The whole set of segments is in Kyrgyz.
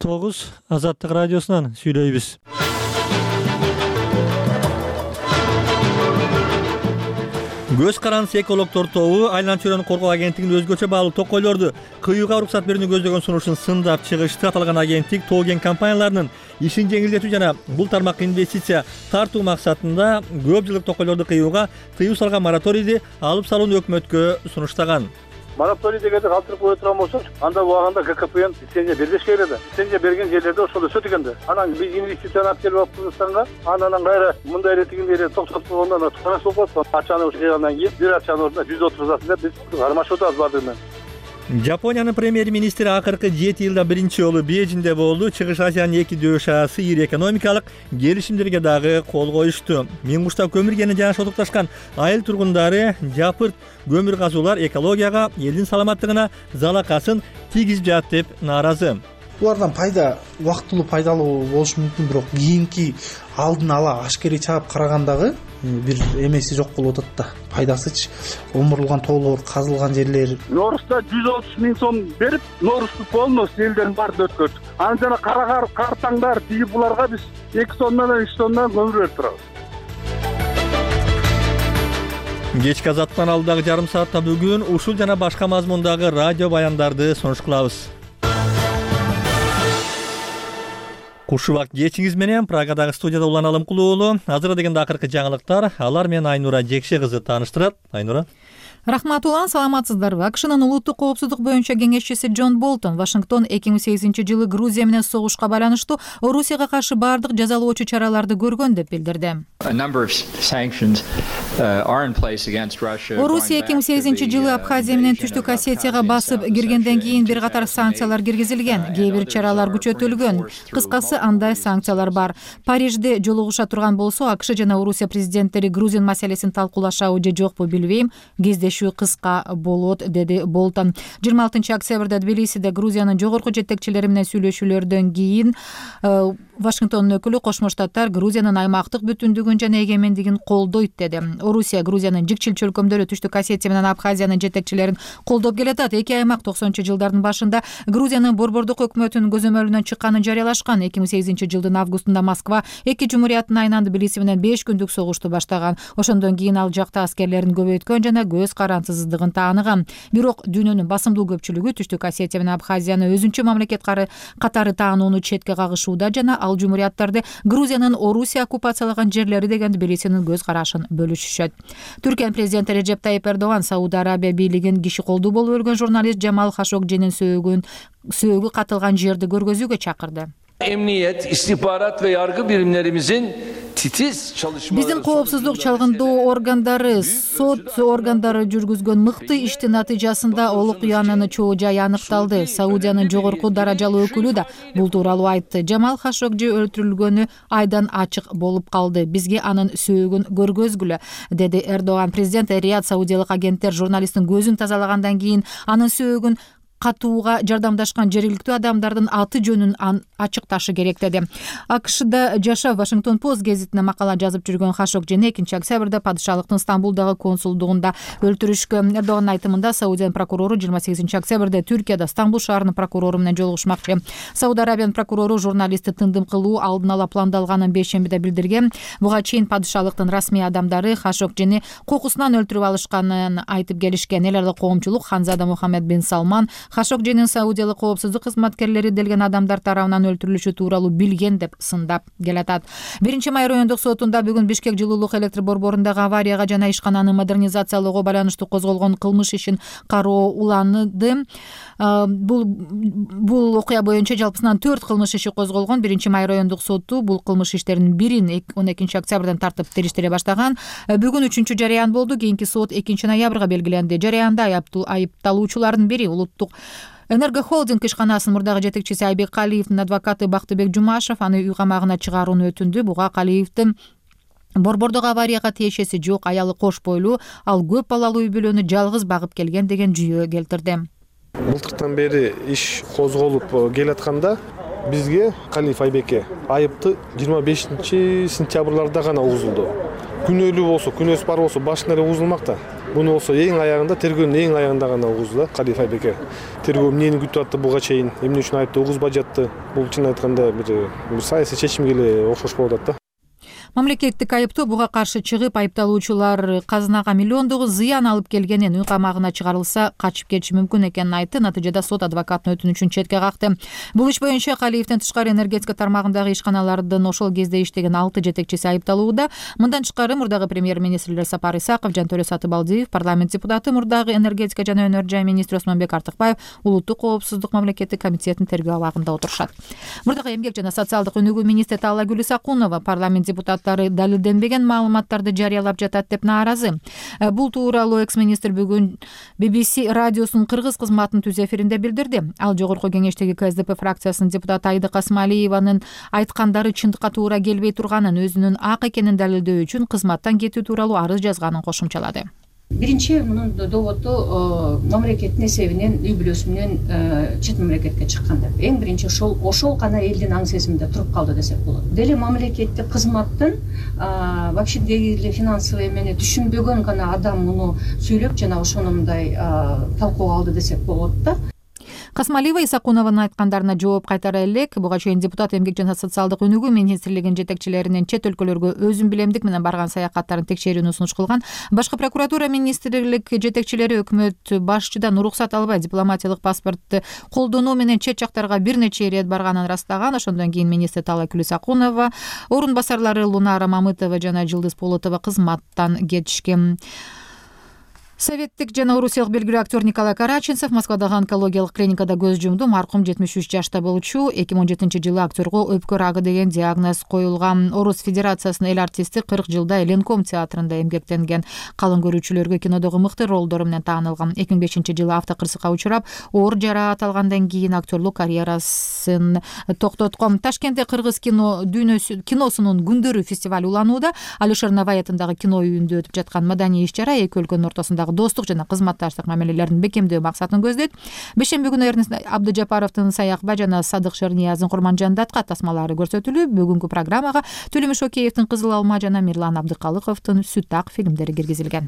9 Азаттык радиосунан сүйлөйбүз. Көз карандысы экологдор тобу Айлан чөйрөнү коргоо агенттигинин өзгөчө баалуу токойлорду кыюуга уруксат берүүнү көздөгөн сунушун сындап чыгышты. Аталган агенттик тоо кен компанияларынын ишин жеңилдетүү жана бул тармакка инвестиция тартуу максатында көп жылдык токойлорду кыюуга тыюу салган мораторийди алып салууну өкмөткө сунуштаган. Мораторий дегенди калтырып кое турган болсок, анда убагында ККПН лицензия бербеш керек эле. Лицензия берген жерлерде ошол өсөт экенде. Анан биз инвестицияны алып келип алып Кыргызстанга, анан кайра мындай эле тигиндей эле токтотуп койгондон турас болуп калат. Акчаны жыйгандан кийин бир акчанын ордуна 130 деп биз кармашып атабыз баардыгы менен. Жапониянын премьер-министри акыркы 7 жылда биринчи жолу Бейжиңде болду. Чыгыш Азиянын эки дөш асы ири экономикалык келишимдерге дагы кол коюшту. Миңгушта көмүр кени жана шотукташкан айыл тургундары жапырт көмүр казуулар экологияга, элдин саламаттыгына залакасын тийгизип жатат деп нааразы. Булардан пайда убактылуу пайдалуу болушу мүмкүн, бирок кийинки алдын ала ашкерий чаап карагандагы бир эмеси жок болуп атат да. Пайдасычы омурулган тоолор, казылган жерлер. Норуста 130 000 сом берип, Норусту полностью элдерин баарын өткөрдүк. Анан жана кара картаңдар тийип буларга биз 2 тоннадан 3 тоннадан көмүр берип турабыз. Кечки Азаттан алдагы жарым саатта бүгүн ушул жана башка мазмундагы радио баяндарды сунуш кылабыз. Кушубак кечиңиз менен Праgadагы студияда Улан Алымкулуу уулу. Азыр дегенде акыркы жаңылыктар. Алар менен Айнура Жекше кызы тааныштырат. Айнура. Рахмат Улан, саламатсыздарбы? АКШнын улуттук коопсуздук боюнча кеңешчиси Джон Болтон Вашингтон 2008-жылы Грузия менен согушка байланыштуу Орусияга каршы бардык жазалоочу чараларды көргөн деп билдирди. Орусия 2008-жылы Абхазия менен Түштүк Осетияга басып киргенден кийин бир катар санкциялар киргизилген, кээ бир чаралар күчөтүлгөн. Кыскасы андай санкциялар бар. Парижде жолугуша турган болсо, АКШ жана Орусия президенттери Грузин маселесин талкуулашабы же жокпу билбейм. Кездешүү кыска болот, деди Болтон. 26 октябрда Тбилисиде Грузиянын жогорку жетекчилери менен сүйлөшүүлөрдөн кийин Вашингтондун өкүлү Кошмо Штаттар Грузиянын аймактык бүтүндүгүн жана эгемендигин колдойт деди. Орусия Грузиянын жикчил чөлкөмдөрү Түштүк Осетия менен Абхазиянын жетекчилерин колдоп келатат. Эки аймак 90-жылдардын башында Грузиянын борбордук өкмөтүнүн көзөмөлүнөн чыкканын жарыялашкан. 2008-жылдын августунда Москва эки жумурияттын айынан Тбилиси менен 5 күндүк согушту баштаган. Ошондон кийин ал жакта аскерлерин көбөйткөн жана көз карансыздыгын тааныган. Бирок дүйнөнүн басымдуу көпчүлүгү Түштүк Осетия менен Абхазияны өзүнчө мамлекет катары таанууну четке кагышууда жана ал жумурияттарды Грузиянын Орусия оккупациялаган жерлери деген Тбилисинин көз карашын бөлүшүшөт. Түркиянын президенти Режеп Тайип Эрдоган Сауд Арабия бийлигин киши колдуу болуп өлгөн журналист Джамал Хашогжинин сөөгү катылган жерди көргөзүүгө чакырды. Emniyet, istihbarat ve yargı birimlerimizin titiz çalışmaları... Биздин коопсуздук чалгындоо органдары, сот органдары жүргүзгөн мыкты иштин натыйжасында ол окуянын чоо жайы аныкталды. Саудиянын жогорку даражалуу өкүлү да бул тууралуу айтты. Джамал Хашогжи өлтүрүлгөнү айдан ачык болуп калды. Бизге анын сөөгүн көргөзгүлө, деди Эрдоган. Президент Рият саудиялык агенттер журналисттин көзүн тазалагандан кийин анын сөөгүн катууга жардамдашкан жергиликтүү адамдардын аты жөнүн ачыкташы керек деди. АКШда жашап Вашингтон Пост гезитине макала жазып жүргөн Хашогжини 2 октябрда падышалыктын Стамбулдагы консулдугунда өлтүрүшкөн. Эрдогандын айтымында Саудиянын прокурору 28 октябрда Түркияда Стамбул шаарынын прокурору менен жолугушмакчы. Сауд Арабиянын прокурору журналистти тындым кылуу алдын ала пландалганын бейшембиде билдирген. Буга чейин падышалыктын расмий адамдары Хашогжини кокусунан өлтүрүп алышканын айтып келишкен. Эл аралык коомчулук Ханзада Мухаммед бин Салман Хашогжинин саудиялык коопсуздук кызматкерлери делген адамдар тарабынан өлтүрүлүшү тууралуу билген деп сындап келатат. 1-май райондук сотунда бүгүн Бишкек жылуулук электр борборундагы аварияга жана ишкананы модернизациялоого байланыштуу козголгон кылмыш ишин кароо уланды. Бул окуя боюнча жалпысынан 4 кылмыш иши козголгон. 1-май райондук соту бул кылмыш иштеринин бирин 12 октябрдан тартып териштире баштаган. Бүгүн 3-чү жарыян болду. Кийинки сот 2 ноябрга белгиленди. Жарыянда айыпталуучулардын бири улуттук Энергохолдинг ишканасынын мурдагы жетекчиси Айбек Калиевдин адвокаты Бактыбек Жумашев аны үй камагына чыгарууну өтүндү. Буга Калиевдин борбордук аварияга тиешеси жок, аялы кош бойлуу, ал көп балалуу үй бүлөнү жалгыз багып келген деген жүйө келтирди. Былтыртан бери иш козголуп келатканда бизге Калиев Айбекке айыпты 25 сентябрларда гана угузулду. күнөөлүү болсо, күнөөсү бар болсо башынан эле угузулмак да. Муну болсо эң аягында, тергөөнүн эң аягында гана угузду да Калиев Айбеке. Тергөө эмнени күтүп атты буга чейин, эмне үчүн айыпты угузбай жатты? Бул чын айтканда бир саясий чечимге эле окшош болуп атат да. Мамлекеттик айыптоо буга каршы чыгып, айыпталуучулар казынага миллиондогу зыян алып келгенин, үй камагына чыгарылса качып кетиши мүмкүн экенин айтты. Натыйжада сот адвокаттын өтүнүчүн четке какты. Бул иш боюнча Калиевдин тышкары энергетика тармагындагы ишканалардын ошол кезде иштеген 6 жетекчиси айыпталууда. Мындан тышкары мурдагы премьер-министрлер Сапар Исаков, Жантөрө Сатыбалдиев, парламент депутаты, мурдагы энергетика жана өнөр жай министри Осмонбек Артыкбаев улуттук коопсуздук мамлекеттик комитетинин тергөө абагында отурушат. Мурдагы эмгек жана социалдык өнүгүү министри Таллагүл Исакунова парламент депутаты далилденбеген маалыматтарды жарыялап жатат деп нааразы. Бул тууралуу экс-министр бүгүн BBC радиосунун кыргыз кызматынын түз эфиринде билдирди. Ал жогорку кеңештеги КСДП фракциясынын депутаты Айда Касымалиеванын айткандары чындыкка туура келбей турганын, өзүнүн ак экенин далилдөө үчүн кызматтан кетүү тууралуу арыз жазганын кошумчалады. Биринчи мунун доводу мамлекеттин эсебинен, үй бүлөсү менен чет мамлекетке чыккан деп. Эң биринчи ошол гана элдин аң сезиминде туруп калды десек болот. Деле мамлекеттик кызматтын вообще деги финансовый эмени түшүнбөгөн гана адам муну сүйлөп жана ошону мындай талкууга алды десек болот да. Касымалиева Исакунованын айткандарына жооп кайтара элек. Буга чейин депутат эмгек жана социалдык өнүгүү министрлигинин жетекчилеринин чет өлкөлөргө өзүн билемдик менен барган саякаттарын текшерүүнү сунуш кылган. Башкы прокуратура министрлик жетекчилери өкмөт башчыдан уруксат албай дипломатиялык паспортду колдонуу менен чет жактарга бир нече ирет барганын ырастаган. Ошондон кийин министр Таллагүл Исакунова, орун басарлары Лунара Мамытова жана Жылдыз Полотова кызматтан кетишкен. Советтик жана орусиялык белгилүү актер Николай Караченцев Москвадагы онкологиялык клиникада көз жумду. Маркум 73 жашта болчу. 2017-жылы актерго өпкө рагы деген диагноз коюлган. Орус Федерациясынын эл артисти 40 жылда Ленком театрында эмгектенген. Калың көрүүчүлөргө кинодогу мыкты ролдору менен таанылган. 2005-жылы автокырсыкка учурап, оор жараат алгандан кийин актерлук карьерасын токтоткон. Ташкентте Кыргыз киносунун күндөрү фестиваль уланууда. Алишер Навай атындагы кино үйүндө өтүп жаткан маданий иш-чара эки өлкөнүн ортосундагы достук жана кызматташтык мамилелерин бекемдөө максатын көздөйт. Бешемби күнү Эрнест Абдыжапаровдун Саякбай жана Садык Шерниязын Курманжандатка тасмалары көрсөтүлүп, бүгүнкү программага Төлөмүш Океевдин Кызыл алма жана Мирлан Абдыкалыковдун Сүт ак фильмдери киргизилген.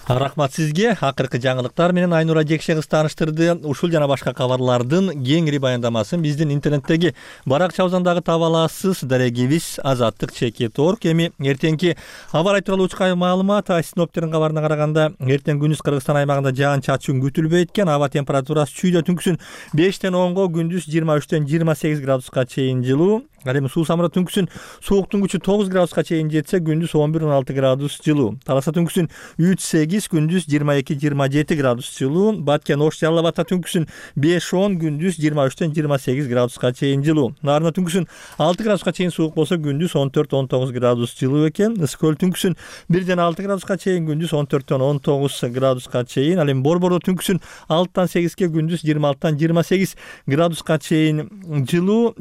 Рахмат сизге. Акыркы жаңылыктар менен Айнура Жекше кыз тааныштырды. Ушул жана башка кабарлардын кеңири баяндамасын биздин интернеттеги баракчабыздагы таба аласыз. Дарегибиз azattik.org. Эми эртеңки аба ырайы тууралуу учкай маалымат синоптиктердин кабарына караганда эртең күндүз Кыргызстан аймагында жаан-чачын күтүлбөйт экен. Аба температурасы чүйдө түнкүсүн 5-тен 10-го, күндүз 23-тен 28 градуска чейин жылуу. Ал эми суу самыры түнкүсүн сууктун күчү 9 градуска чейин жетсе, күндүз 11-16 градус жылуу. Таласа түнкүсүн 3-8, күндүз 22-27 градус жылуу. Баткен Ош Жалал Абадта түнкүсүн 5-10, күндүз 23-тен 28 градуска чейин жылуу. Нарына түнкүсүн 6 градуска чейин суук болсо, күндүз 14-19 градус жылуу экен. Ысык көл түнкүсүн 1-6 градуска чейин, күндүз 14-19 градуска чейин. Ал эми Борбордо түнкүсүн 6-8ге, күндүз 26-28 градуска чейин жылуу.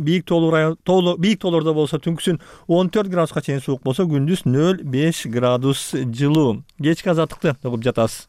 Бийик тоолордо болсо түнкүсүн 14 градуска чейин суук болсо, күндүз 0-5 градус жылуу. Кечки азаттыкты угуп жатасыз.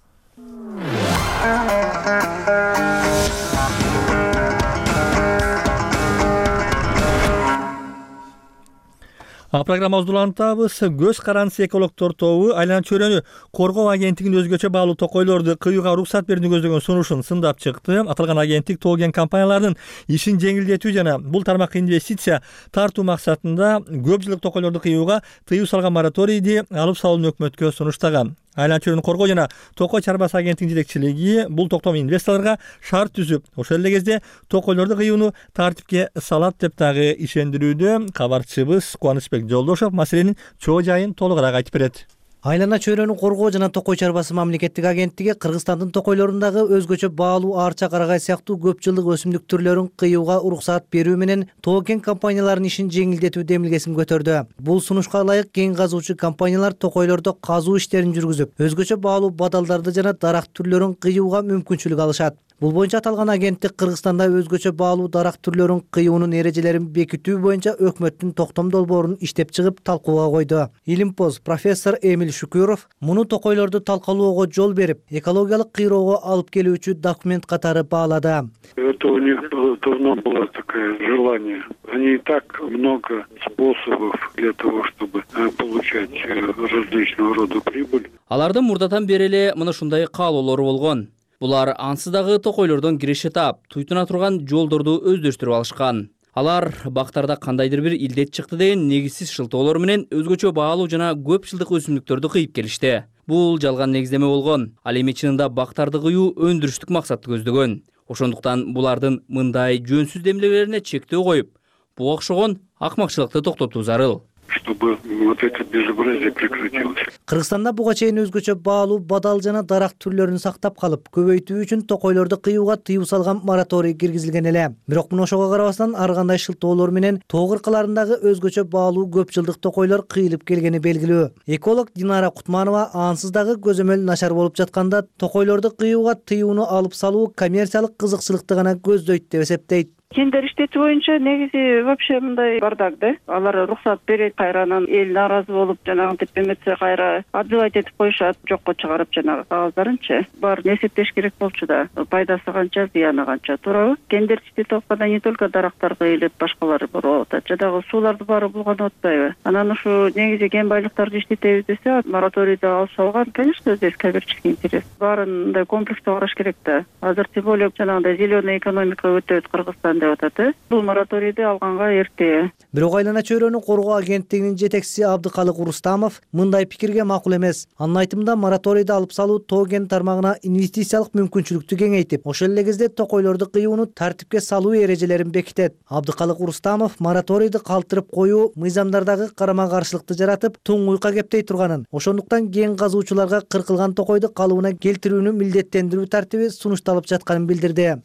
Программабызды улантабыз. Көз карандысы экологдор тобу айлана чөйрөнү коргоо агенттигинин өзгөчө баалуу токойлорду кыюуга уруксат берүүнү көздөгөн сунушун сындап чыкты. Аталган агенттик тоо кен компанияларынын ишин жеңилдетүү жана бул тармакка инвестиция тартуу максатында көп жылдык токойлорду кыюуга тыюу салган мораторийди алып салууну өкмөткө сунуштаган. Айлана чөйрөнү коргоо жана токой чарбасы агенттигинин жетекчилиги бул токтом инвесторлорго шарт түзүп, ошол эле кезде токойлорду кыюуну тартипке салат деп дагы ишендирүүдө. Кабарчыбыз Кубанычбек Жолдошов маселенин чоо жайын толугураак айтып берет. Айлана чөйрөнү коргоо жана токой чарбасы мамлекеттик агенттиги Кыргызстандын токойлорундагы өзгөчө баалуу арча, карагай сыяктуу көп жылдык өсүмдүк түрлөрүн кыюуга уруксаат берүү менен тоо кен компанияларынын ишин жеңилдетүү демилгесин көтөрдү. Бул сунушка ылайык кен казуучу компаниялар токойлордо казуу иштерин жүргүзүп, өзгөчө баалуу бадалдарды жана дарак түрлөрүн кыюуга мүмкүнчүлүк алышат. Бул боюнча аталган агенттик Кыргызстанда өзгөчө баалуу дарак түрлөрүн кыюунун эрежелерин бекитүү боюнча өкмөттүн токтом долбоорун иштеп чыгып талкууга койду. Илимпоз профессор Эмиль Шукуров муну токойлорду талкалоого жол берип, экологиялык кыйроого алып келүүчү документ катары баалады. Это у них давно было такое желание. Они и так много способов для того, чтобы получать различного рода прибыль. Алардын мурдатан бери эле мына ушундай каалоолору болгон. Булар ансыз дагы токойлордон киреше таап, туйтуна турган жолдорду өздөштүрүп алышкан. Алар бактарда кандайдыр бир илдет чыкты деген негизсиз шылтоолор менен өзгөчө баалуу жана көп жылдык өсүмдүктөрдү кыйып келишти. Бул жалган негиздеме болгон. Ал эми чынында бактарды кыюу өндүрүштүк максатты көздөгөн. Ошондуктан булардын мындай жөнсүз демилгелерине чектөө коюп, буга окшогон акмакчылыкты токтотуу зарыл. Чтобы вот это безобразие прекратилось. Кыргызстанда буга чейин өзгөчө баалуу бадал жана дарак түрлөрүн сактап калып, көбөйтүү үчүн токойлорду кыюуга тыюу салган мораторий киргизилген эле. Бирок мына ошого карабастан ар кандай шылтоолор менен тоо кыркаларындагы өзгөчө баалуу көп жылдык токойлор кыйылып келгени белгилүү. Эколог Динара Кутманова ансыз дагы көзөмөл начар болуп жатканда токойлорду кыюуга тыюуну алып салуу коммерциялык кызыкчылыкты гана көздөйт деп эсептейт. Тендер иштетүү боюнча негизи вообще мындай бардак да. Алар уруксат берет, кайранан эл нааразы болуп, жанагынтип эметсе кайра отзывать этип коюшат, жокко чыгарып жанагы кагаздырынчы. Баарын эсептеш керек болчу да. Пайдасы канча, зыяны канча, туурабы? Тендер иштетип атканда не только дарактар кыйылып, башкалары болуп атат. Жадагы сууларды баары булганып атпайбы? Анан ушу негизи кен байлыктарды иштетебиз десе, мораторийди алып салган, конечно, здесь коммерческий интерес. Баарын мындай комплекстүү караш керек да. Азыр тем более жанагындай зеленый экономика өтөт Кыргызстанда. Бул мораторийди алганга эрте. Бирок Айлана чөйрөнү коргоо агенттигинин жетекчиси Абдыкалык Рустамов мындай пикирге макул эмес. Анын айтымында мораторийди алып салуу тоо кен тармагына инвестициялык мүмкүнчүлүктү кеңейтип, ошол эле кезде токойлорду кыюуну тартипке салуу эрежелерин бекитет. Абдыкалык Рустамов мораторийди калтырып коюу мыйзамдардагы карама каршылыкты жаратып, туңгуйка кептей турганын, ошондуктан кен казуучуларга кыркылган токойду калыбына келтирүүнү милдеттендирүү тартиби сунушталып жатканын билдирди.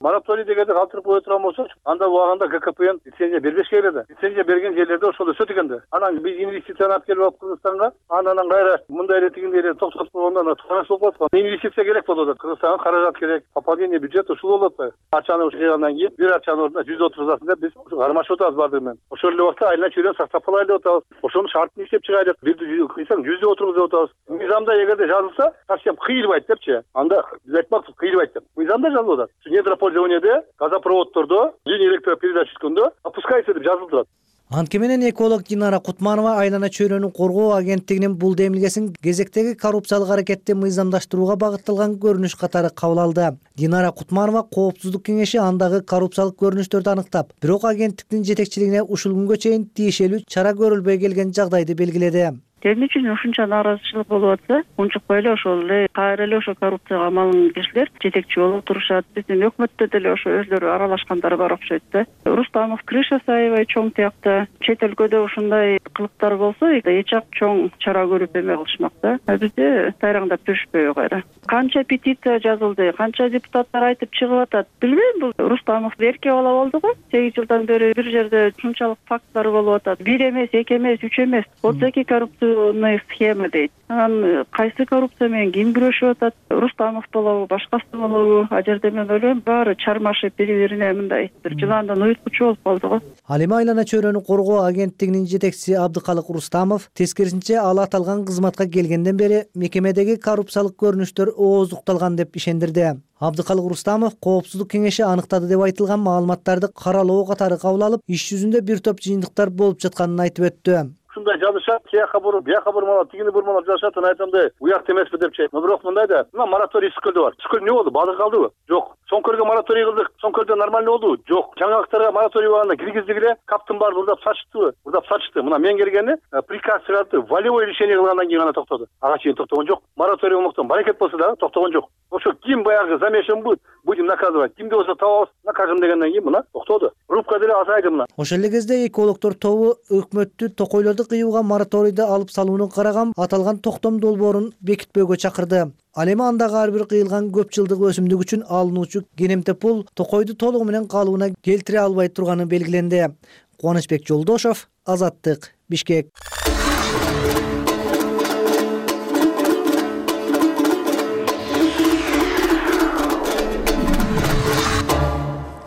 Мораторий дегенди калтырып кое турган болсок, анда убагында ГКПН лицензия бербеш керек эле. Лицензия берген жерлерде ошол өсөт экенде. Анан биз инвестицияны алып келип Кыргызстанга, анан кайра мындай эле тигиндей эле токтотуп койгондо туура болуп атат. Инвестиция керек болуп атат. Кыргызстанга каражат керек, пополнение бюджета ушул болуп атпайбы? Акчаны жыйгандан кийин бир акчанын ордуна 130 деп биз кармашып атабыз баардыгы менен. Ошол эле убакта айлана чөйрөнү сактап калайлы деп атабыз. Ошонун шартын иштеп чыгайлы. Бирди кыйсаң 100 деп отурбуз деп атабыз. Мыйзамда эгерде жазылса, совсем кыйылбайт депчи. Анда биз айтмакпыз, кыйылбайт деп. Мыйзамда жазылып атат. Недропользованияде газопроводдордо, линия электропередач түшкөндө опускайся деп жазылып турат. Антке менен эколог Динара Кутманова Айлана чөйрөнү коргоо агенттигинин бул демилгесин кезектеги коррупциялык аракетти мыйзамдаштырууга багытталган көрүнүш катары кабыл алды. Динара Кутманова Коопсуздук кеңеши андагы коррупциялык көрүнүштөрдү аныктап, бирок агенттиктин жетекчилигине ушул күнгө чейин тиешелүү чара көрүлбөй келген жагдайды белгиледи. Эмне үчүн ушунча нааразычылык болуп атса, унчукпай эле ошол эле кайра эле ошо коррупцияга малынган кишилер жетекчи болуп турушат. Биздин өкмөттө деле ошо өздөрү аралашкандар бар окшойт да. Рустамов, Крыша Саева чоң тиякта чет өлкөдө ушундай кылыктар болсо, эч ак чоң чара көрүп эме кылышмак да. Бизде тайраңдап жүрүшпөйбү кайра. Канча петиция жазылды, канча депутаттар айтып чыгып атат. Билбейм, бул Рустамов эрке бала болду го. 8 жылдан бери бир жерде ушунчалык факттар болуп атат. Бир эмес, эки эмес, үч эмес. 32 коррупция схема дейт. Анан кайсы коррупция менен ким күрөшүп атат? Рустамов болобу, башкасы болобу? А жерде мен ойлойм, баары чармашып бири-бирине мындай бир жыландан уюткучу болуп калды го. Ал эми Айлана чөйрөнү коргоо агенттигинин жетекчиси Абдыкалык Рустамов тескерисинче ал аталган кызматка келгенден бери мекемедеги коррупциялык көрүнүштөр ооздукталган деп ишендирди. Абдыкалык Рустамов Коопсуздук кеңеши аныктады деп айтылган маалыматтарды каралоо катары кабыл алып, иш жүзүндө бир топ жыйынтыктар болуп жатканын айтып өттү. Ушундай жазышат, тияка буруп, бияка бурмалап, тигини бурмалап жазышат, анан айтамды, уякта эмеспи депчи. Бирок мындай да, мына мораторий Скөлдө бар. Скөл эмне болду? Балык калдыбы? Жок. Соңкөлгө мораторий кылдык. Соңкөлдө нормально болду? Жок. Жаңалыктарга мораторий болгондо киргиздик эле, каптын баары урдап сачтыбы? Урдап сачты. Мына мен келгени приказ чыгарды, волевой решение кылгандан кийин гана токтоду. Ага чейин токтогон жок. Мораторий болмоктон баракет болсо да токтогон жок. Ошо ким баягы замешан будем наказывать. Кимди болсо табабыз, накажем дегенден кийин мына токтоду. Рубка деле азайды мына. Ошол эле кезде экологдор тобу өкмөттү токойлорду кыюуга мораторийди алып салууну караган аталган токтом долбоорун бекитпөөгө чакырды. Ал эми андагы ар бир кыйылган көп жылдык өсүмдүк үчүн алынуучу кенемтеп пул токойду толугу менен калыбына келтире албай турганы белгиленди. Кубанычбек Жолдошов, Азаттык, Бишкек.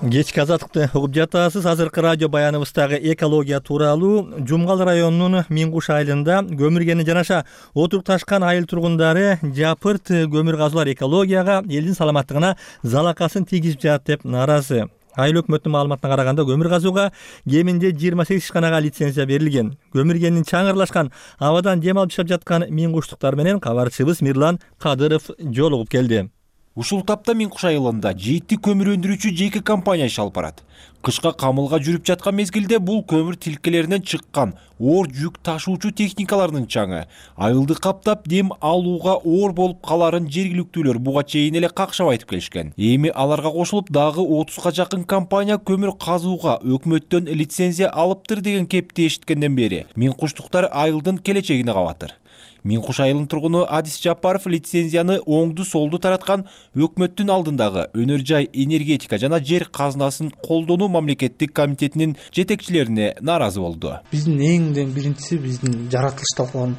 Кечки азаттыкты угуп жатасыз. Азыркы радио баяныбыздагы экология тууралуу Жумгал районунун Миңкуш айылында көмүргени жанаша отурукташкан айыл тургундары жапырт көмүр казуулар экологияга, элдин саламаттыгына залакасын тийгизип жатат деп нааразы. Айыл өкмөттүн маалыматына караганда көмүр казууга кеминде 28 ишканага лицензия берилген. Көмүргенин чаңырлашкан абадан дем алып жашап жаткан Миңкуштуктар менен кабарчыбыз Мирлан Кадыров жолугуп келди. Ушул тапта Миңкуш айылында 7 көмүр өндүрүүчү жеке компания иш алып барат. Кышка камылга жүрүп жаткан мезгилде бул көмүр тилкелеринен чыккан оор жүк ташуучу техникалардын чаңы айылды каптап дем алууга оор болуп каларын жергиликтүүлөр буга чейин эле какшап айтып келишкен. Эми аларга кошулуп дагы 30га жакын компания көмүр казууга өкмөттөн лицензия алыптыр деген кепти эшиткенден бери Миңкуштуктар айылдын келечегине кабатыр. Миңкуш айылынын тургуну Адис Жапаров лицензияны оңду солду тараткан өкмөттүн алдындагы өнөр жай энергетика жана жер казынасын колдонуу мамлекеттик комитетинин жетекчилерине нааразы болду. Биздин эңден биринчиси биздин жаратылыш талкаланып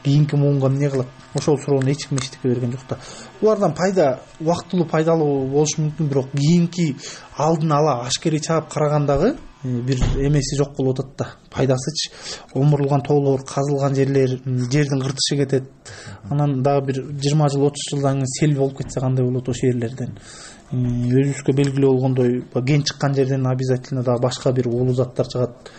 кийинки муунга эмне кылат? Ошол суроону эч ким эчтеке берген жок да. Булардан пайда убактылуу пайдалуу болушу мүмкүн, бирок кийинки алдын ала ашкерей чаап карагандагы бир эмеси жок болуп атат да. Пайдасычы омурулган тоолор, казылган жерлер, жердин кыртышы кетет. Анан дагы бир 20 жыл, 30 жылдан кийин сел болуп кетсе кандай болот ошол жерлерден? Өзүбүзгө белгилүү болгондой, ген чыккан жерден обязательно дагы башка бир уулуу заттар чыгат.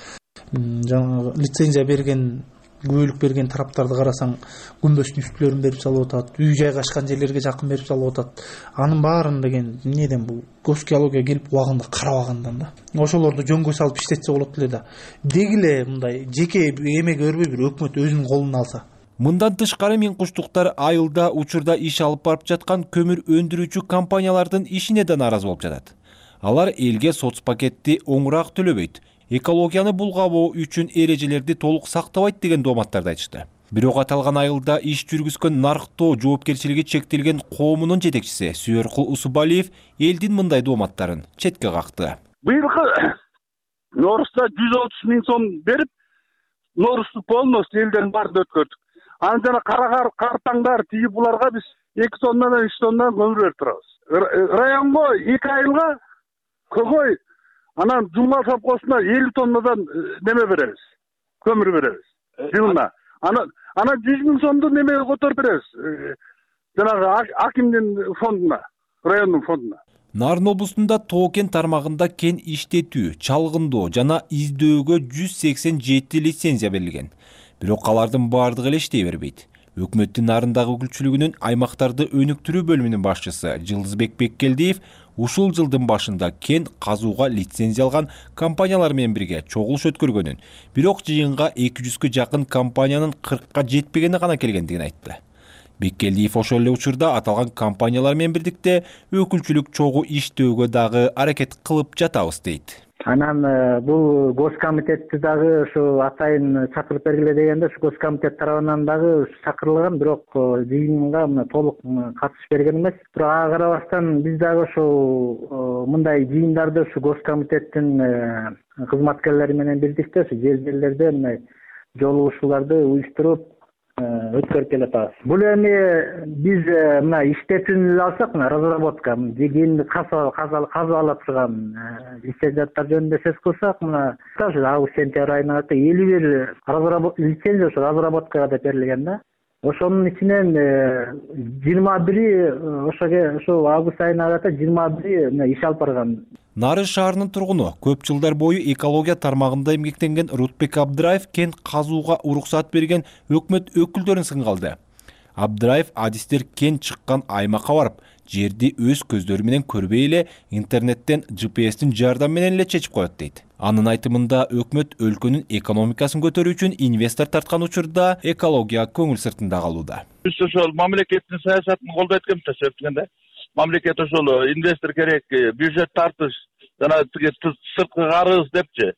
Жанагы лицензия берген, күбөлүк берген тараптарды карасаң, күмбөздүн үстүлөрүн берип салып атат, үй жайгашкан жерлерге жакын берип салып атат. Анын баарын деген эмнеден бул госгеология келип убагында карабагандан да. Ошолорду жөнгө салып иштетсе болот эле да. Дегиле мындай жеке эмеге өрбөй бир өкмөт өзүнүн колуна алса. Мындан тышкары Миңкуштуктар айылда учурда иш алып барып жаткан көмүр өндүрүүчү компаниялардын ишине да нааразы болуп жатат. Алар элге соц пакетти оңураак төлөбөйт, экологияны булгабоо үчүн эрежелерди толук сактабайт деген дооматтарды айтышты. Бирок аталган айылда иш жүргүзгөн Нарктоо жоопкерчилиги чектелген коомунун жетекчиси Сүйөркул Усубалиев элдин мындай дооматтарын четке какты. Быйылкы Норузда 130 миң сом берип, Норузду полностью элдерин баарын өткөрдүк. Анан жана картаңдар тиги буларга биз 2 тоннадан 3 тоннадан көмүр берип турабыз. Районго 2 айылга көгөй, анан Жумгал совхозуна 50 тоннадан неме беребиз, көмүр беребиз жылына. Анан 100 миң сомду немеге которуп беребиз, жанагы акимдин фондуна, райондун фондуна. Нарын облусунда Тоо-Кен тармагында кен иштетүү, чалгындоо жана издөөгө 187 лицензия берилген. Бирок алардын баардыгы эле иштей бербейт. Өкмөттүн Нарындагы өкүлчүлүгүнүн аймактарды өнүктүрүү бөлүмүнүн башчысы Жылдызбек Беккелдиев ушул жылдын башында кен казууга лицензия алган компаниялар менен бирге чогулуш өткөргөнүн, бирок жыйынга 200гө жакын компаниянын 40ка жетпегени гана келгендигин айтты. Беккелдиев ошол эле учурда аталган компаниялар менен бирдикте өкүлчүлүк чогуу иштөөгө дагы аракет кылып жатабыз дейт. Анан бул госкомитетти дагы ушу атайын чакырып бергиле дегенде ушу госкомитет тарабынан дагы чакырылган, бирок жыйынга мына толук катышып берген эмес. Бирок ага карабастан биз дагы ушу мындай жыйындарды ушу госкомитеттин кызматкерлери менен бирдикте ушу жерлерде мындай жолугушууларды уюштуруп өткөрүп келатабыз. Бул эми биз мына иштетүүнү алсак, мына разработка, кийинки казып ала турган лицензияттар жөнүндө сөз кылсак, мына август-сентябрь айына 51 лицензия ушу разработкага деп берилген да. Ошонун ичинен 21 ошо август айына карата 21 иш алып барган. Нарын шаарынын тургуну көп жылдар бою экология тармагында эмгектенген Рутбек Абдыраев кен казууга уруксат берген өкмөт өкүлдөрүн сынга алды. Абдыраев адистер кен чыккан аймакка барып, жерди өз көздөрү менен көрбөй эле интернеттен GPS-тин жардамы менен эле чечип коет дейт. Анын айтымында өкмөт өлкөнүн экономикасын көтөрүү үчүн инвестор тарткан учурда экология көңүл сыртында калууда. Биз ошол мамлекеттин саясатын колдойт экенбиз да, себептен мамлекет ошол инвестор керек, бюджет тартыш, жана сырткы карыз депчи.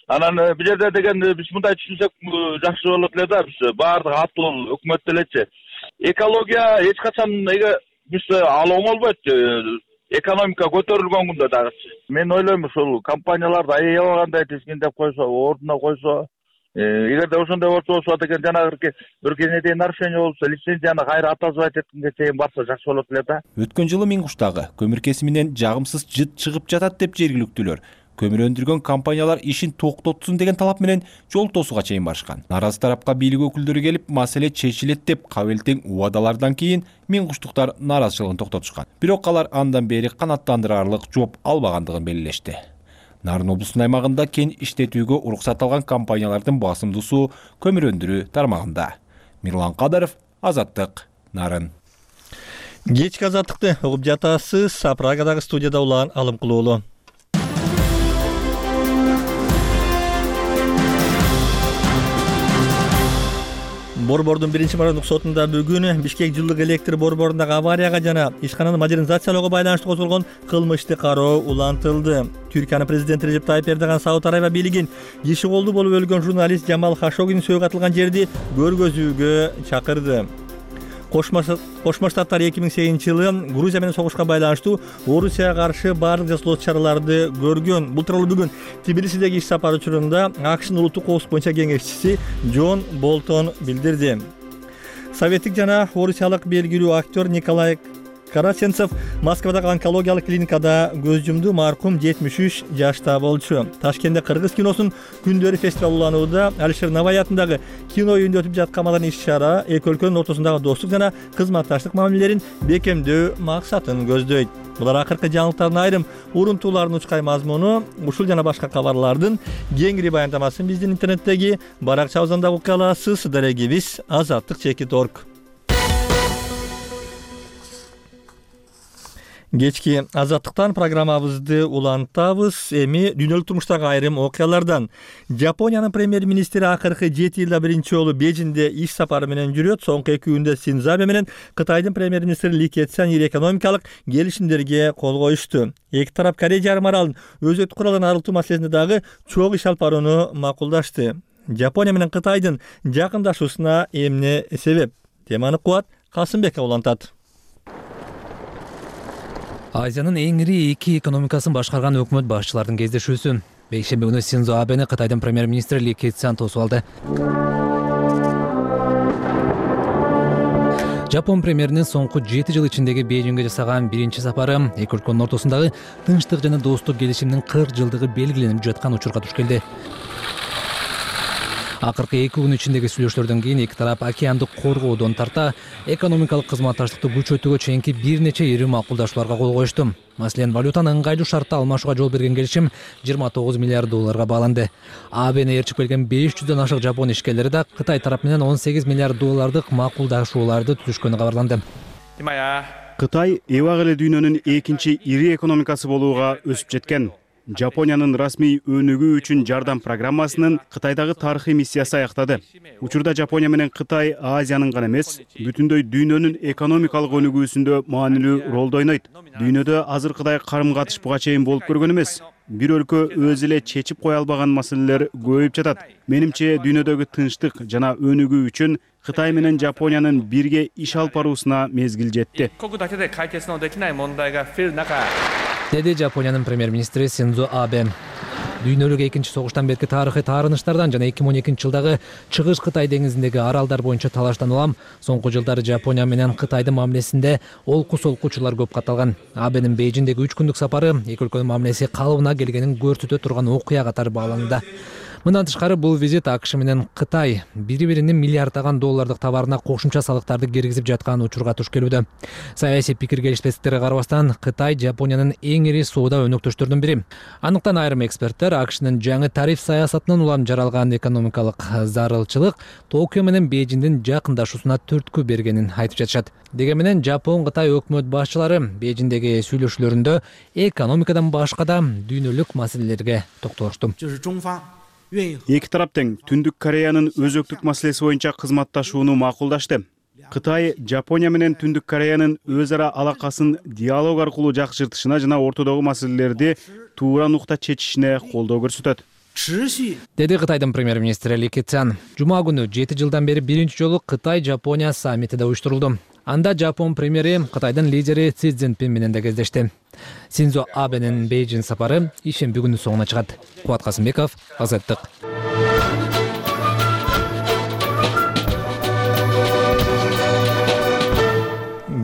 Анан бул жерде деген биз мындай түшүнсөк жакшы болот эле да, биз баардык атыл өкмөт делечи. Экология эч качан биз ал оңолбойт. Экономика көтөрүлгөн күндө дагы. Мен ойлойм ушул компанияларды аябагандай тизгиндеп койсо, ордуна койсо, Эгерде ошондой болсо деген жанагы бир кенедей нарушение болсо лицензияны кайра отозвать эткенге чейин барса жакшы болот эле да. Өткөн жылы Миң Куштагы көмүр кесиминен жагымсыз жыт чыгып жатат деп жергиликтүүлөр көмүр өндүргөн компаниялар ишин токтотсун деген талап менен жол тосууга чейин барышкан. Наразы тарапка бийлик өкүлдөрү келип, маселе чечилет деп кабылтең убадалардан кийин Миң Куштуктар наразычылыгын токтотушкан. Бирок алар андан бери канааттандырарлык жооп албагандыгын белгилешти. Нарын облусунун аймагында кен иштетүүгө уруксат алган компаниялардын басымдуусу көмүр өндүрүү тармагында. Мирлан Кадаров, Азаттык, Нарын. Кечки азаттыкты угуп жатасыз. Прагадагы студияда улан Алымкулуу уулу. Борбордун 1-мордук сотунда бүгүн Бишкек жылдык электр борборундагы аварияга жана ишкананы модернизациялоого байланыштуу козголгон кылмыштык кароо улантылды. Түркиянын президенти Режеп Тайып Эрдоган Сауд Арабия бийлигин иши колду болуп өлгөн журналист Жамал Хашогинин сөөгү атылган жерди көргөзүүгө чакырды. Кошмо Штаттар 2008-жылы Грузия менен согушка байланыштуу Орусияга каршы баардык жасоолуу чараларды көргөн. Бул тууралуу бүгүн Тбилисидеги иш сапары учурунда АКШнын улуттук коопсуздук боюнча кеңешчиси Джон Болтон билдирди. Советтик жана орусиялык белгилүү актер Николай Караченцев Москвадагы онкологиялык клиникада көз жумду. Маркум 73 жашта болчу. Ташкентте кыргыз киносунун күндөрү фестиваль уланууда. Алишер Навай атындагы кино үйүндө өтүп жаткан иш-чара эки өлкөнүн ортосундагы достук жана кызматташтык мамилелерин бекемдөө максатын көздөйт. Булар акыркы жаңылыктардын айрым урунтууларынын учкай мазмуну. Ушул жана башка кабарлардын кеңири баяндамасын биздин интернеттеги баракчабыздан ука аласыз. Дарегибиз azattik.org. Кечки азаттыктан программабызды улантабыз. Эми дүйнөлүк турмуштагы айрым окуялардан. Жапониянын премьер-министри акыркы 7 жылда биринчи жолу Бейжиңде иш сапары менен жүрөт. Соңку 2 күндө Синдзо Абе менен Кытайдын премьер-министри Ли Кэцян ири экономикалык келишимдерге кол коюшту. Эки тарап Корея жарым аралын өзөктүк куралдан арылтуу маселесинде дагы чогуу иш алып барууну макулдашты. Жапония менен Кытайдын жакындашуусуна эмне себеп? Теманы Кубат Касымбеков улантат. Азиянын эң ири эки экономикасын башкарган өкмөт башчыларынын кездешүүсү. Бейшемби күнү Синдзо Абени Кытайдын премьер-министри Ли Кэцян тосуп алды. Жапон премьеринин соңку 7 жыл ичиндеги Бейжиңге жасаган биринчи сапары эки өлкөнүн ортосундагы тынчтык жана достук келишимдин 40 жылдыгы белгиленип жаткан учурга туш келди. Акыркы 2 күн ичиндеги сүйлөшүүлөрдөн кийин эки тарап океандык коргоодон тарта экономикалык кызматташтыкты күчөтүүгө чейинки бир нече ири макулдашууларга кол коюшту. Маселен, валютаны ыңгайлуу шартта алмашууга жол берген келишим 29 миллиард долларга бааланды. Абени ээрчип келген 500дөн ашык жапон ишкерлери да Кытай тарап менен 18 миллиард доллардык макулдашууларды түзүшкөнү кабарланды. Кытай эбак эле дүйнөнүн экинчи ири экономикасы болууга өсүп жеткен. Жапониянын расмий өнүгүү үчүн жардам программасынын Кытайдагы тарыхый миссиясы аяктады. Учурда Жапония менен Кытай Азиянын гана эмес, бүтүндөй дүйнөнүн экономикалык өнүгүүсүндө маанилүү ролду ойнойт. Дүйнөдө азыркыдай карым-катыш буга чейин болуп көргөн эмес. Бир өлкө өзү эле чечип кое албаган маселелер көбөйүп жатат. Менимче, дүйнөдөгү тынчтык жана өнүгүү үчүн Кытай менен Жапониянын бирге иш алып баруусуна мезгил жетти. Деди Жапониянын премьер-министри Синдзо Абе. Дүйнөлүк экинчи согуштан берки тарыхый таарынычтардан жана 2012-жылдагы Чыгыш Кытай деңизиндеги аралдар боюнча талаштан улам соңку жылдары Жапония менен Кытайдын мамилесинде олку-солкуучулар көп катталган. Абенин Бейжиңдеги 3 күндүк сапары эки өлкөнүн мамилеси калыбына келгенин көрсөтө турган окуя катары бааланды. Мындан тышкары бул визит АКШ менен Кытай бири-биринин миллиарддаган доллардык товарына кошумча салыктарды киргизип жаткан учурга туш келүүдө. Саясий пикир келишпестиктерге карабастан Кытай Жапониянын эң ири соода өнөктөштөрүнүн бири. Андыктан айрым эксперттер АКШнын жаңы тариф саясатынан улам жаралган экономикалык зарылчылык Токио менен Бейжиңдин жакындашуусуна түрткү бергенин айтып жатышат. Дегени менен Жапон Кытай өкмөт башчылары Бейжиңдеги сүйлөшүүлөрүндө экономикадан башка да дүйнөлүк маселелерге токтолушту. Эки тарап тең Түндүк Кореянын өзөктүк маселеси боюнча кызматташууну макулдашты. Кытай Жапония менен Түндүк Кореянын өз ара алакасын диалог аркылуу жакшыртышына жана ортодогу маселелерди туура нукта чечишине колдоо көрсөтөт. Деди Кытайдын премьер-министри Ли Кэцян. Жума күнү 7 жылдан бери биринчи жолу Кытай-Жапония саммити да уюштурулду. Анда Жапон премьери Кытайдын лидери Си Цзиньпин менен да кездешти. Синдзо Абенин Бейжиң сапары ишемби күнү соңуна чыгат. Кубат Касымбеков, Азаттык.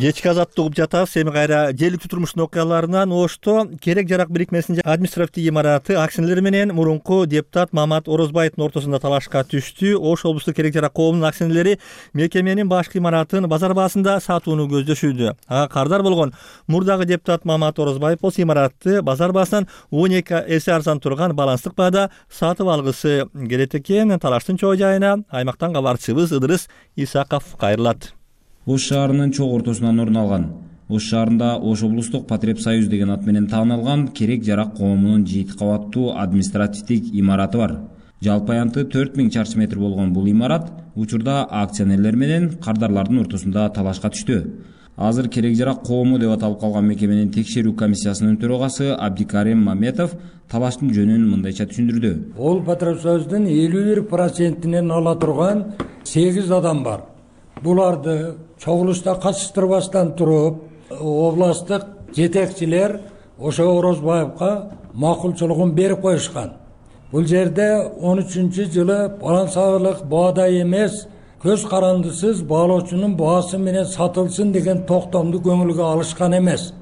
Кечки азаттык угуп жатабыз. Эми кайра жергиликтүү турмуштун окуяларынан Ошто керек жарак бирикмесинин административдик имараты акционерлери менен мурунку депутат Мамат Орозбаевдин ортосунда талашка түштү. Ош облустук керек жарак коомунун акционерлери мекеменин башкы имаратын базар баасында сатууну көздөшүүдө. Ага кардар болгон мурдагы депутат Мамат Орозбаев болсо имаратты базар баасынан 12 эсе арзан турган баланстык баада сатып алгысы келет экен. Талаштын чоо жайына аймактан кабарчыбыз Ыдырыс Исаков кайрылат. Ош шаарынын чогуу ортосунан орун алган. Ош шаарында Ош облустук Потреб Союз деген ат менен таанылган керек жарак коомунун 7 кабаттуу административдик имараты бар. Жалпы аянты 4000 чарчы метр болгон бул имарат учурда акционерлер менен кардарлардын ортосунда талашка түштү. Азыр керек жарак коому деп аталып калган мекеменин текшерүү комиссиясынын төрагасы Абдикарим Маметов талаштын жөнүн мындайча түшүндүрдү. Ол Потреб Союздун 51%-нен ала турган 8 адам бар. Буларды чогулушта катыштырбастан туруп, областтык жетекчилер ошо Орозбаевка макулчулугун берип коюшкан. Бул жерде 13-жылы балансалык баада эмес, көз карандысыз баалоочунун баасы менен сатылсын деген токтомду көңүлгө алышкан эмес.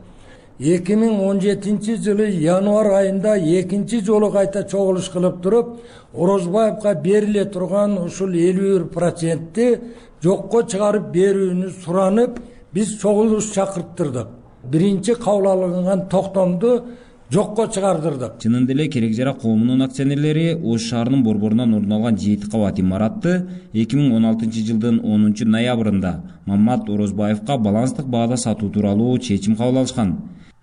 2017-жылы январь айында экинчи жолу кайта чогулуш кылып туруп, Орозбаевка бериле турган ушул 51%-ти жокко чыгарып берүүнү суранып, биз чогулуш чакырттырдык. Биринчи кабыл алынган токтомду жокко чыгардырдык. Чынында эле керек жарак коомунун акционерлери Ош шаарынын борборунан орун алган 7 кабат имаратты 2016-жылдын 10-ноябрында Мамат Орозбаевка баланстык баада сатуу тууралуу чечим кабыл алышкан.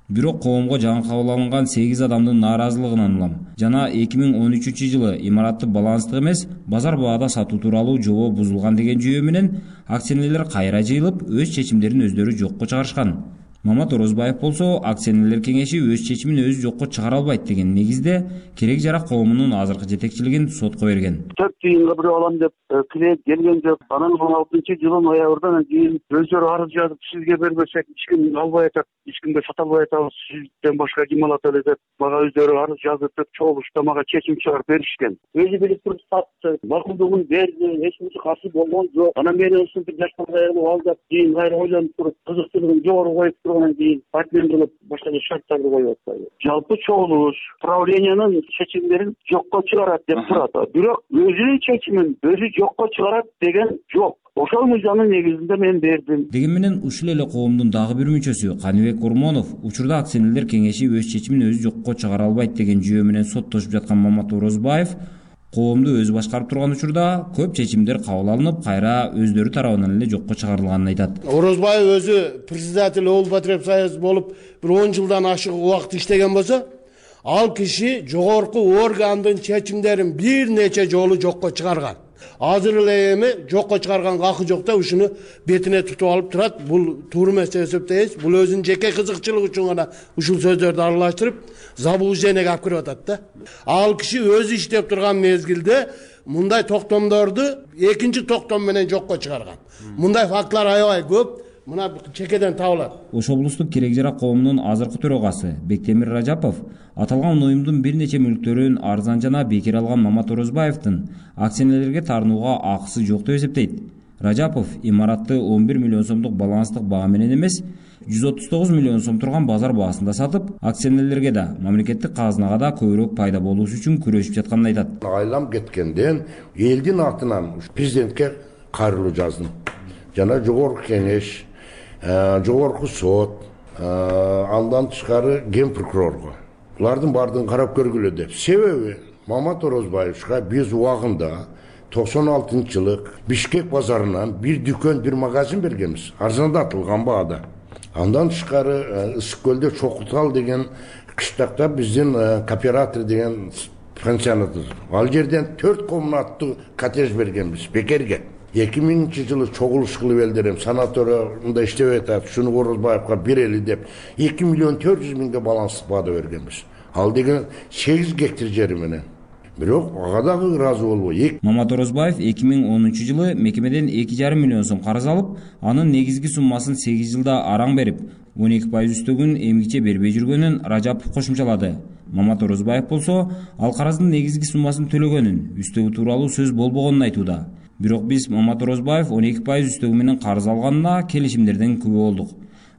Бирок коомго жаңы кабыл алынган 8 адамдын нааразылыгынан улам жана 2013-жылы имаратты баланстык эмес, базар баада сатуу тууралуу жобо бузулган деген жүйө менен акционерлер кайра жыйылып, өз чечимдерин өздөрү жокко чыгарышкан. Мамат Орозбаев болсо акционерлер кеңеши өз чечимин өзү жокко чыгара албайт деген негизде керек жарак коомунун азыркы жетекчилигин сотко берген. 4 тыйынга бирөө алам деп кирет келген жок. Анан 16-жылы ноябрдан кийин өздөрү арыз жазып сизге бербесек эч ким албай атат, эч кимге сата албай атабыз, сизден башка ким алат эле деп мага өздөрү арыз жазып чогулушта мага чечим чыгарып беришкен. Өзү билип туруп сатты, макулдугун берди, эч кимсе каршы болгон жок. Анан мен ушинтип жаштарга алдап кийин кайра ойлонуп туруп кызыктуулугун жогору коюп тургандан кийин партиялар кылып башка шарттарды коюп атпайбы. Жалпы чогулуш правлениянын чечимдерин жокко чыгарат деп турат. Бирок өзүнүн чечимин өзү жокко чыгарат деген жок. Ошол мыйзамдын негизинде мен бердим. Деген менен ушул эле коомдун дагы бир мүчөсү Каныбек Урмонов учурда акционерлер кеңеши өз чечимин өзү жокко чыгара албайт деген жүйө менен соттошуп жаткан Мамат Орозбаев коомду өзү башкарып турган учурда көп чечимдер кабыл алынып, кайра өздөрү тарабынан эле жокко чыгарылганын айтат. Орозбаев өзү председатель Ол Потреб Союз болуп бир 10 жылдан ашык убакыт иштеген болсо, ал киши жогорку органдын чечимдерин бир нече жолу жокко чыгарган. Азыр эле эми жокко чыгарганга акы жок да ушуну бетине тутуп алып турат. Бул туура эмес деп эсептейбиз. Бул өзүнүн жеке кызыкчылыгы үчүн гана ушул сөздөрдү аралаштырып, заблуждениеге алып кирип атат да. Ал киши өзү иштеп турган мезгилде мындай токтомдорду экинчи токтом менен жокко чыгарган. Мындай фактылар аябай көп. Мына чекеден табылат. Ош облустук керек жарак коомунун азыркы төрагасы Бектемир Ражапов аталган уюмдун бир нече мүлктөрүн арзан жана бекер алган Мамат Орозбаевдин акционерлерге таарынууга акысы жок деп эсептейт. Ражапов имаратты 11 миллион сомдук баланстык баа менен эмес, 139 миллион сом турган базар баасында сатып, акционерлерге да, мамлекеттик казынага да көбүрөөк пайда болуусу үчүн күрөшүп жатканын айтат. Айлам кеткенден элдин атынан президентке кайрылуу жаздым. Жана жогорку кеңеш, жогорку сот, андан тышкары ген прокурорго. Булардын бардыгын карап көргүлө деп. Себеби Мамат Орозбаевга биз убагында 96-жылы Бишкек базарынан бир дүкөн, бир магазин бергенбиз. Арзандатылган баада. Андан тышкары Ысык көлдө Чокутал деген кыштакта биздин кооператор деген пансионат. Ал жерден 4 комнаттуу коттедж бергенбиз бекерге. 2000-жылы чогулуш кылып элдерим санаторияда иштеп атат, шуну Орозбаевга берели деп 2 миллион 400 миңге баланстык баада бергенбиз. Ал деген 8 гектар жери менен. Бирок ага дагы ыраазы болбой. Мамат Орозбаев 2010-жылы мекемеден 2,5 миллион сом карыз алып, анын негизги суммасын 8 жылда араң берип, 12% үстөгүн эмгиче бербей жүргөнүн Ражапов кошумчалады. Мамат Орозбаев болсо, ал карыздын негизги суммасын төлөгөнүн, үстөгү тууралуу сөз болбогонун айтууда. Бирок биз Мамат Орозбаев 12% үстөгү менен карыз алганына келишимдерден күбө болдук.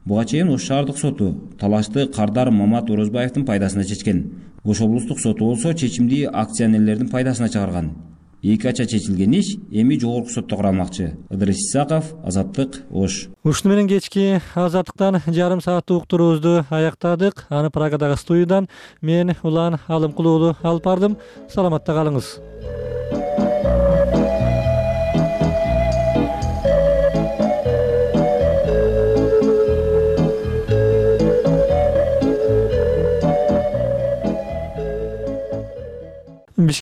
Буга чейин Ош шаардык соту талашты Кардар Мамат Орозбаевдин пайдасына чечкен. Ош облустук соту болсо чечимди акционерлердин пайдасына чыгарган. Эки ача чечилген иш эми жогорку сотто каралмакчы. Ыдырыс Исаков, Азаттык, Ош. Ушуну менен кечки Азаттыктан жарым сааттык уктуруубузду аяктадык. Аны Прагадагы студиядан мен Улан Алымкулуулу алып бардым. Саламатта калыңыз.